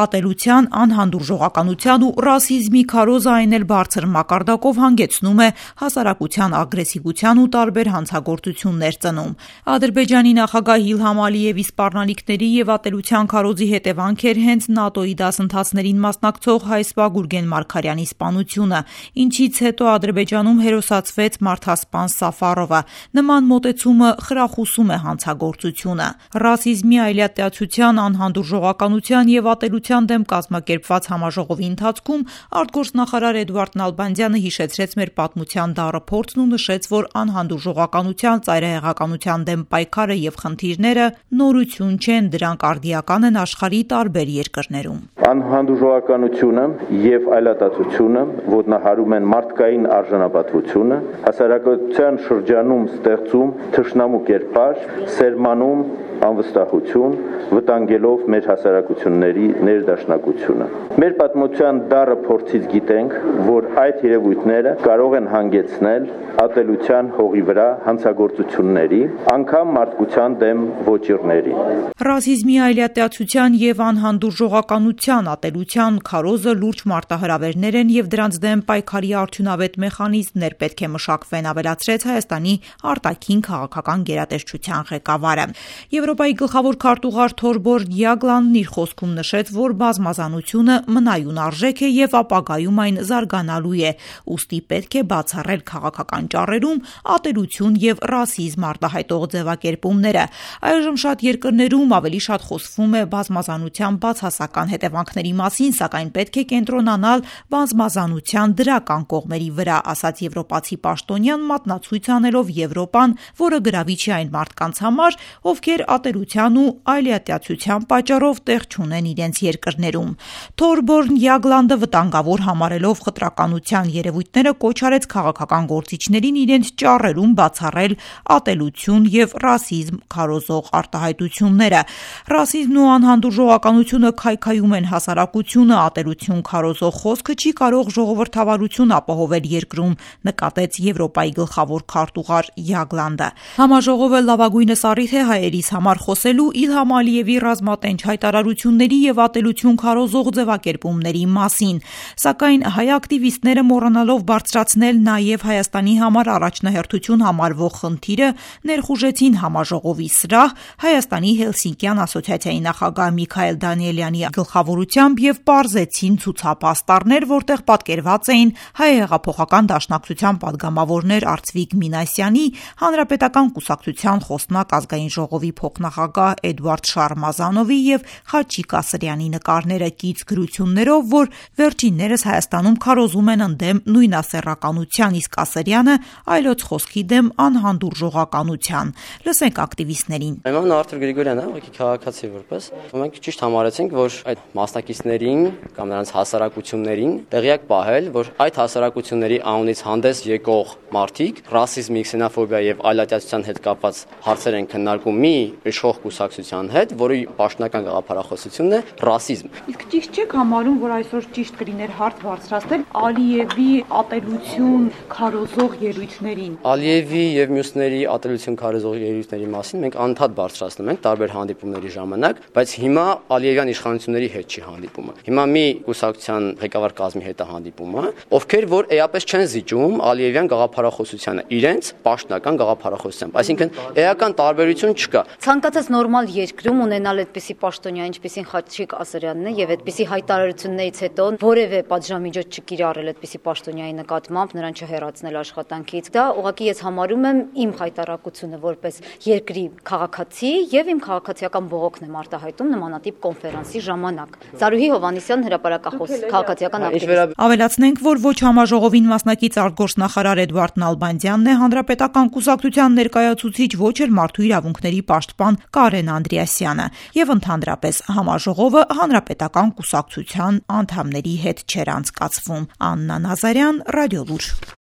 ատելության, անհանդուրժողականության ու ռասիզմի քարոզը այն էլ բարձր մակարդակով հանգեցնում է հասարակության ագրեսիվության ու տարբեր հանցագործություններ ծնում։ Ադրբեջանի նախագահ Իլհամ Ալիևի սպառնալիքների եւ ատելության քարոզի հետևանք էր հենց ՆԱՏՕ-ի դասընթացներին մասնակցող հայ սպա Գուրգեն Մարգարյանի սպանությունը, ինչից հետո Ադրբեջանում հերոսացվեց մարդասպան Սաֆարովը։ Նման մոտեցումը խրախուսում է հանցագործությունը։ Ռասիզմի, այլատիացության, անհանդուրժողականության եւ ատելության դեմ կազմակերպված համաժողովի ընթացքում արտգործնախարար Էդուարդ Նալբանդյանը հիշեցրեց մեր պատմության դառը փորձն ու նշեց, որ անհանդուրժողականության, ծայրահեղականության դեմ պայքարը եւ խնդիրները նորություն չեն, դրանք արդիական են աշխարհի տարբեր երկրներում։ Անհանդուրժողականությունը եւ այլատացությունը ոտնահարում են մարդկային արժանապատվությունը, հասարակության շրջանում ստեղծում թշնամու կերպար, սերմանում անվստահություն, վտանգելով մեր հասարակությունների ներդաշնակությունը։ Մեր պատմության դառը փորձից գիտենք, որ այդ երևույթները կարող են հանգեցնել ատելության հողի վրա հանցագործությունների, անգամ մարդկության դեմ ոճիրների։ Ռասիզմի, այլատիացության եւ անհանդուրժողականության, ատելության քարոզը լուրջ մարտահրավերներ են եւ դրանց դեմ պայքարի արդյունավետ մեխանիզմներ պետք է մշակվեն, ավելացրեց Հայաստանի արտաքին քաղաքական գերատեսչության ղեկավարը։ Եվրոպայի գլխավոր քարտուղար Թորբորն Յագլանդն իր խոսքում նշեց, որ բազմազանությունը մնայուն արժեք է եւ ապագայում այն զարգանալու է, ուստի պետք է բացառել քաղաքական ճառերում ատելություն եւ ռասիզմ արտահայտող ձևակերպումները։ Այժմ շատ երկրներում ավելի շատ խոսվում է բազմազանության բացասական հետևանքների մասին, սակայն պետք է կենտրոնանալ բազմազանության դրական կողմերի վրա, ասաց եվրոպացի պաշտոնյան, մատնացույց անելով Եվրոպան, որը գրավիչ է այն մարդկանց համար, ովքեր ատելության ու այլատիացության պատճառով տեղ չունեն իրենց երկրներում։ Թորբորն Յագլանդը վտանգավոր համարելով խտրականության երևույթները կոչ արեց քաղաքական գործիչներին իրենց ճառերում բացառել ատելություն եւ ռասիզմ քարոզող արտահայտությունները։ Ռասիզմն ու անհանդուրժողականությունը քայքայում են հասարակությունը, ատելություն քարոզող խոսքը չի կարող ժողովրդավարություն ապահովել երկրում, նկատեց Եվրոպայի գլխավոր քարտուղար Յագլանդը։ Համաժողովը լավագույնս առիթ է հայերիս համար խոսելու Իլհամ Ալիևի ռազմատենչ հայտարարությունների եւ ատելություն քարոզող ձևակերպումների մասին, սակայն հայ ակտիվիստները մոռանալով բարձրացնել նաեւ Հայաստանի համար առաջնահերթություն համարվող խնդիրը, ներխուժեցին համաժողովի սրահ Հայաստանի Հելսինկյան ասոցիացիայի նախագահ Միքայել Դանիելյանի գլխավորությամբ եւ պարզեցին ցուցապաստառներ, որտեղ պատկերված էին Հայ հեղափոխական դաշնակցության падգամավորներ Արծվիկ Մինասյանի, Հանրապետական կուսակցության խոսնակ ազգային ժողովի փոխնախագահ Էդուարդ Շարմազանովի եւ Խաչիկ Ասրյանի նկարները կից գրություններով, որ վերջիններս Հայաստանում քարոզում են ընդդեմ նույնասեռականության, իսկ Ասրյանը այլոց խոսքի դեմ անհանդուրժողականության։ Լսենք ակտիվիստներին։ Ման Արթուր Գրիգորյանն է, ուղղակի քաղաքացի որպես։ Մենք ճիշտ համարեցինք, որ այդ մասնակիցներին կամ նրանց հասարակություններին տեղյակ պահել, որ այդ հասարակությունների անունից հանդես եկող մարդիկ ռասիզմի, քսենոֆոբիա եւ այլատիացության հետ կապված հարցեր են քննարկում մի իշխող կուսակցության հետ, որի պաշտոնական գաղափարախոսությունն է ռասիզմ։ Իսկ ճիշտ չեք համարում, որ այսօր ճիշտ կլիներ հարց բարձրացնել Ալիևի ատելություն քարոզող ելույթներին։ Ալիևի եւ մյուսների ատելություն քարոզող ելույթների մասին մենք անդադար բարձրացնում ենք տարբեր հանդիպումների ժամանակ, բայց հիմա Ալիևյան իշխանությունների հետ չի հանդիպումը։ Հիմա մի կուսակցության ղեկավար կազմի հետ է հանդիպումը, ովքեր որ էապես չեն զիջում Ալիևյան գաղափարախոսությանը, իրենց պաշտոնական գաղափարախոսությամբ։ Այսինքն էական տարբերություն չկա։ Ցանկացած նորմալ երկրում ունենալ այդպիսի պաշտոնյա, ինչպիսին Խաչիկ Ասրյանն է եւ այդպիսի հայտարարություններից հետո որևէ պատժամիջոց չկիրառել այդպիսի պաշտոնյայի նկատմամբ, նրան չհեռացնել աշխատանքից։ Դա ուղղակի ես համարում եմ իմ հայտարարությունը որպես երկրի քաղաքացի եւ իմ քաղաքացիական բողոքն եմ արտահայտում նմանատիպ կոնֆերանսի ժամանակ։ Զարուհի Հովհաննիսյան, հրապարակախոս, քաղաքացիական ակտիվիստ։ Ավելացնենք, որ ոչ համաժողովին մասնակից արտգործնախարար Էդուարդ Նալբանդյանն է, Հանրապետական կուսակցության ներկայացուցիչ, ոչ էլ մարդու իրավունքների պաշտպան Կարեն Անդրեասյանը եւ ընդհանրապես համաժողովը Հանրապետական կուսակցության անդամների հետ չէր անցկացվում։ Աննա Նազարյան, Ռադիոլուր։